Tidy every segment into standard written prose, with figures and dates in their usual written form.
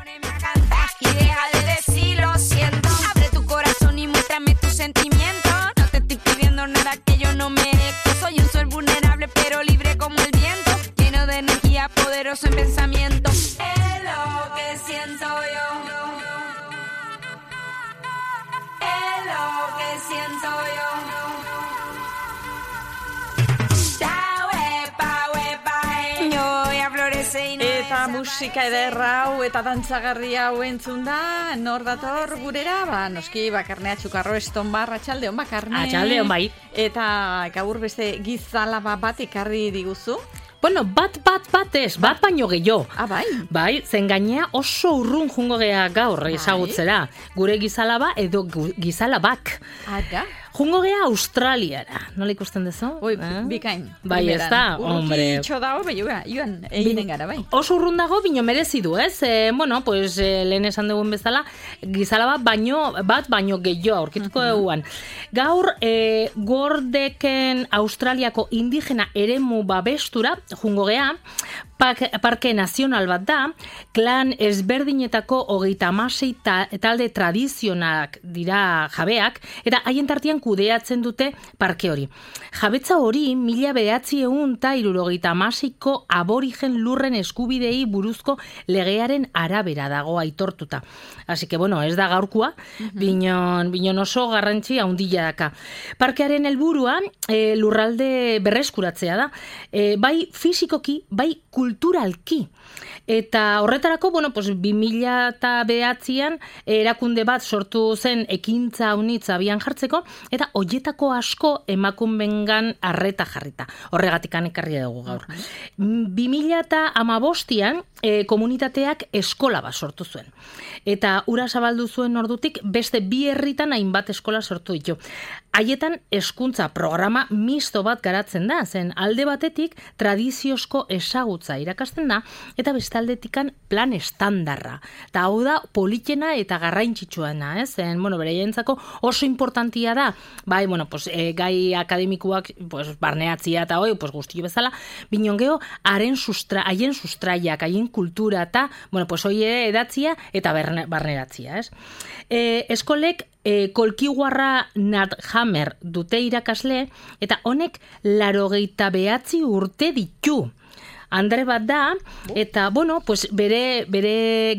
Poneme a cantar y deja de decir lo siento. Abre tu corazón y muéstrame tus sentimientos. No te estoy pidiendo nada que yo no merezco. Soy un sol vulnerable pero libre como el viento, lleno de energía, poderoso en pensamiento. Es lo que siento yo. Es lo que siento yo. Eta musika ederra hau eta dantzagarri hau entzun da, nor dator gurera, noski Bakarne Atxukarro Estonbar, atxaldeon Bakarne. Atxaldeon bai. Eta gaur beste gizalaba bat ekarri diguzu. Bueno, bat ez, bat baino gehiago. Bai? Bai, zen gainea oso urrun jungo gea gaur ezagutzera. Gure gizalaba edo gizalabak. Ara? Jungo gea Australiara. Nola ikusten dezu? Oi, bikain. Bai, ez da, hombre. Urruki itxo dago, joan, egiten gara, bai. Oso urrun dago, bino merezi du, ez? Bueno, pues, lehen esan dugun bezala, gizalaba bat baino gehiago aurkituko duguan. Gaur, Gordeken Australiako indigena eremu babestura, jungo gea, parke nazional bat da, klan ezberdinetako 36 talde tradizionalak dira jabeak, eta haien tartean kudeatzen dute parke hori. Jabetza hori 1976ko aborigen lurren eskubidei buruzko legearen arabera dago aitortuta. Así que, bueno, ez da gaurkua, binon oso garrantzi handia daka. Parkearen helburua lurralde berreskuratzea da, bai fisikoki, bai kulturalki. Eta horretarako, bueno, pues 2009an erakunde bat sortu zen ekintza unitz abian jartzeko, eta hoietako asko emakumengan arreta jarrita. Horregatikan ekarri dugu gaur. 2015an komunitateak eskola bat sortu zuen. Eta ura zabaldu zuen ordutik beste 2 herritan hainbat eskola sortu ditu. Haietan hezkuntza programa misto bat garatzen da, zen alde batetik tradiziozko ezagutza irakasten da, eta bestaldetikan plan estandarra. Eta hau da politena eta garrantzitsuena, zen, bueno, beraientzako oso importantia da, bai, bueno, pues, gai akademikuak, pues, barneatzia eta hoi, pues, guztio bezala, binon geho, haien sustraiak, haien kultura eta, bueno, pues, hoi edatzia eta barneratzia, ez? Eskolek kolkiguarra Nathammer dute irakasle, eta honek 89 urte ditu. Andre bat da, eta, bueno, pues bere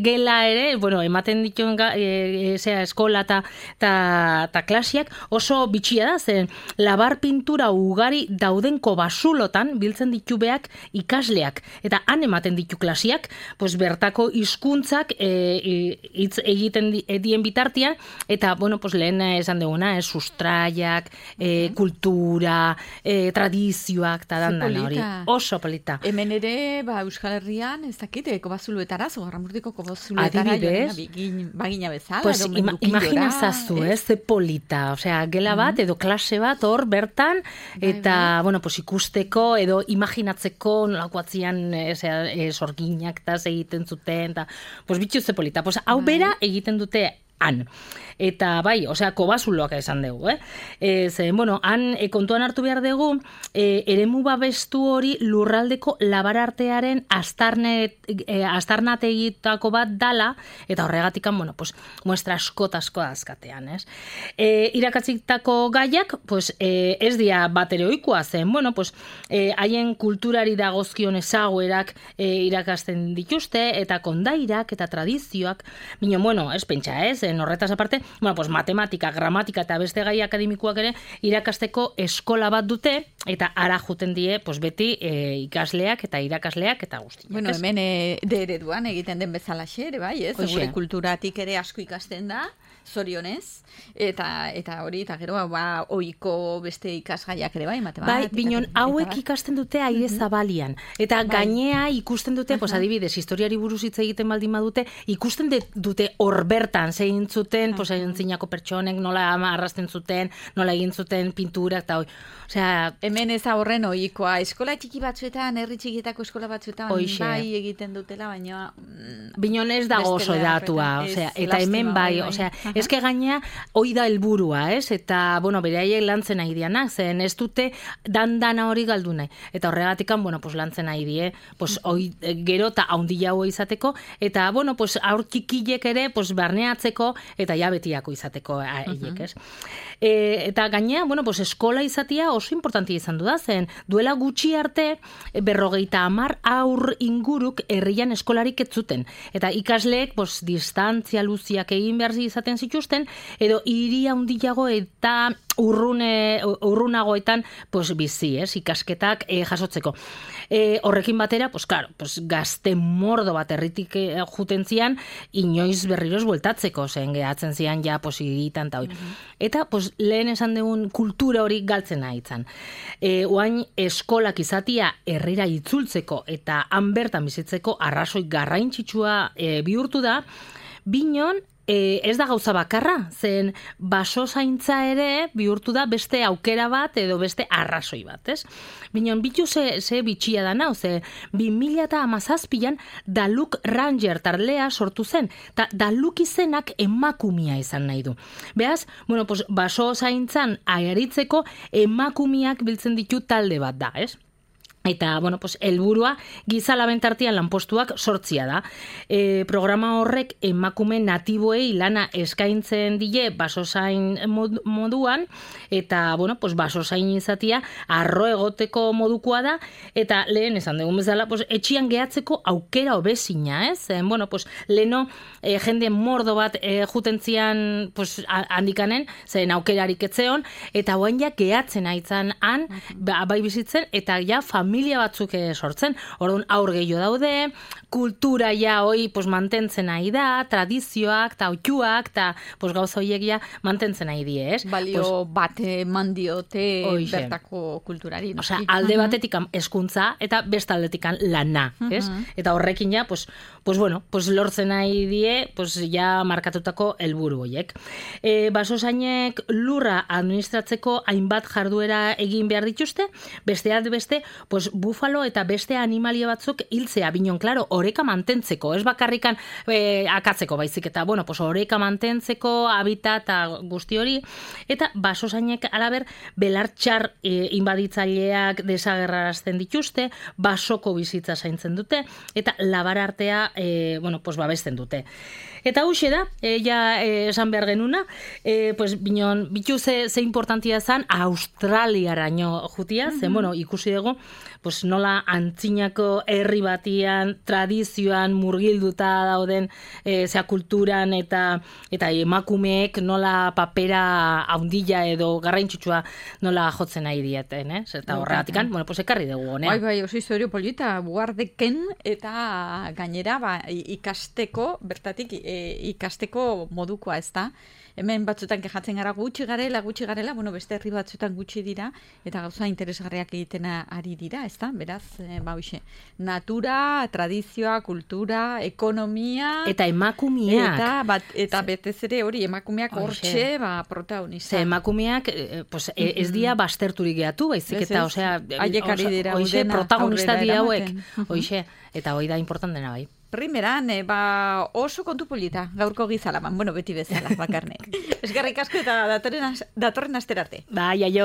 gela ere, bueno, ematen dituen eskola eta klasiak oso bitxia da, zen labar pintura ugari daudenko basulotan biltzen ditu beak ikasleak, eta han ematen ditu klasiak, pues bertako hizkuntzak hitz egiten dien bitartian, eta, bueno, pues lehen esan duguna, sustraiak, kultura, tradizioak, eta dandan hori, oso polita. Hemen ere, Euskal Herrian, ez dakit, kobazuluetara, Zogarramurdiko kobazuluetara, bagina bezala. Pues imaginazazu, ze polita, osea, gela bat, edo klase bat, hor, bertan, eta, bueno, pues ikusteko, edo imaginatzeko, nolakoatzian, sorginak, eta egiten zuten, eta, pues bitxu ze polita. Pues hau bera egiten dute han. Eta bai, osea, kobazuloak esan dugu, bueno, han kontuan hartu behar dugu, eremu babestu hori lurraldeko labarartearen astarnategitako bat dala, eta horregatikan, bueno, pues, muestra asko azkatean, ez? Irakatzitako gaiak, pues, ez dia bat ere ohikoa zen, bueno, pues, haien kulturari dagozkion ezaguerak irakasten dituzte, eta kondairak, eta tradizioak, bino, bueno, ez pentsa, horretaz aparte, bueno, pues matematika, gramatika eta beste gai akademikoak ere irakasteko eskola bat dute, eta ara juten die, pues beti ikasleak eta irakasleak eta guztiak. Bueno, hemen ereduan egiten den bezalaxe ere, bai, ez? Gure kulturatik ere asko ikasten da, zorionez, eta hori, eta gero, ohiko beste ikasgaiak ere, bai, matematika. Bai, binon, hauek ikasten dute aire zabalian, eta gainea ikusten dute, pues adibidez, historiari buruz hitz egiten baldin badute, ikusten dute hor bertan, zein egin zuten, pues antzinako pertsonek nola arrasten zuten, nola egin zuten pinturak eta osea, hemen ez horren ohikoa, eskola txiki batzuetan, herri txikietako eskola batzuetan bai egiten dutela, baina Binon ez dago oso datua, osea, eta hemen bai, osea, eske gaina hoi da helburua, ez? Eta bueno, beraiek lantzen nahi dianak, zen ez dute dana hori galdu nahi. Eta horregatikan, bueno, pues lantzen nahi die, pues gero eta handiago izateko, eta bueno, pues aur txikilek ere, pues barneatzeko eta ja betiako izateko haiek, ez? Eta gainea, bueno, pues eskola izatea oso importantia izan du da, zen duela gutxi arte 50 aur inguruk herrian eskolarik ez zuten. Eta ikasleek pues distantzia luziak egin behar izaten zituzten, edo hiri handiago eta urrunagoetan pues bizi, ikasketak jasotzeko. Horrekin batera, pues claro, pues gazte mordo bat herritik juten zian, inoiz berriroz bueltatzeko, zen gehatzen zian ja pues hiritan ta hori. Eta pues lehen esan dugun kultura hori galtzen nahitzen. Oain eskolak izatia herrira itzultzeko eta han bertan bizitzeko arrazoi garrantzitsua bihurtu da, binon ez da gauza bakarra, zen basozaintza ere bihurtu da beste aukera bat edo beste arrazoi bat, ez? Binon, bitu ze bitxia da nau, ze 2017an Daluk Ranger tardea sortu zen, eta Daluk izenak emakumia izan nahi du. Beaz, bueno, pues basozaintzan aritzeko emakumiak biltzen ditu talde bat da, ez? Eta, bueno, pues, helburua gizalaben tartean lanpostuak sortzia da. Programa horrek emakume natiboei lana eskaintzen die basozain moduan, eta, bueno, pues, basozain izatia arro egoteko modukoa da, eta lehen esan dugun bezala, pues, etxian gehatzeko aukera hobezina, ez? Bueno, pues, leno jende mordo bat jutentzian pues, handikanen, zen aukerarik etzeon, eta guain ja gehatzen aitzan han, bai bizitzen, eta ja familia batzuk sortzen. Orduan aur gehiago daude, kultura ja hoi pues, mantentzen nahi da, tradizioak, eta oituak, eta pues, gauza horiek ja mantentzen nahi die, ez? Balio bat eman diote bertako kulturari. No? Osea, alde batetik hezkuntza eta beste aldetik lana, ez? Eta horrekin ja, pues bueno, pues lortzen nahi die, pues ja markatutako helburu horiek. Basozainek lurra administratzeko hainbat jarduera egin behar dituzte, besteak beste, pues bufalo eta beste animalia batzuk hiltzea, binon, klaro, oreka mantentzeko, ez bakarrikan akatzeko baizik, eta, bueno, pues oreka mantentzeko, habitat eta guzti hori, eta basozainek alaber belartxar inbaditzaileak desagerrarazten dituzte, basoko bizitza zaintzen dute, eta labarartea, bueno, pues babesten dute. Eta huxe da, esan behar genuna, pues binon, bitu ze importantia zan, Australiaraino jutia, zen, bueno, ikusi dugu, pues nola antzinako herri batian, tradizioan murgilduta dauden zea kulturan eta emakumeek nola papera haundila edo garrantzitsua nola jotzen nahi dieten, Eta horregatikan, bueno, pues ekarri dugu honea. Bai, oso historio polita, buhardeken eta gainera ikasteko, bertatik ikasteko modukoa, ez da? Hemen batzutan kejatzen gara gutxi garela, bueno, beste herri batzutan gutxi dira, eta gauza interesgarriak egiten ari dira, ez da? Beraz, natura, tradizioa, kultura, ekonomia... Eta emakumeak. Eta betez ere hori, emakumeak hortxe, protagonista. Emakumeak, pues, ez dia basterturik gehatu, baizik, eta, osea, protagonista di hauek, hoxe, eta hoi da importantena bai. Primeran, oso kontu polita, gaurko gizalaman, bueno, beti bezala, bakarnek. Eskerrik asko eta datorren asterarte. Bai, aio.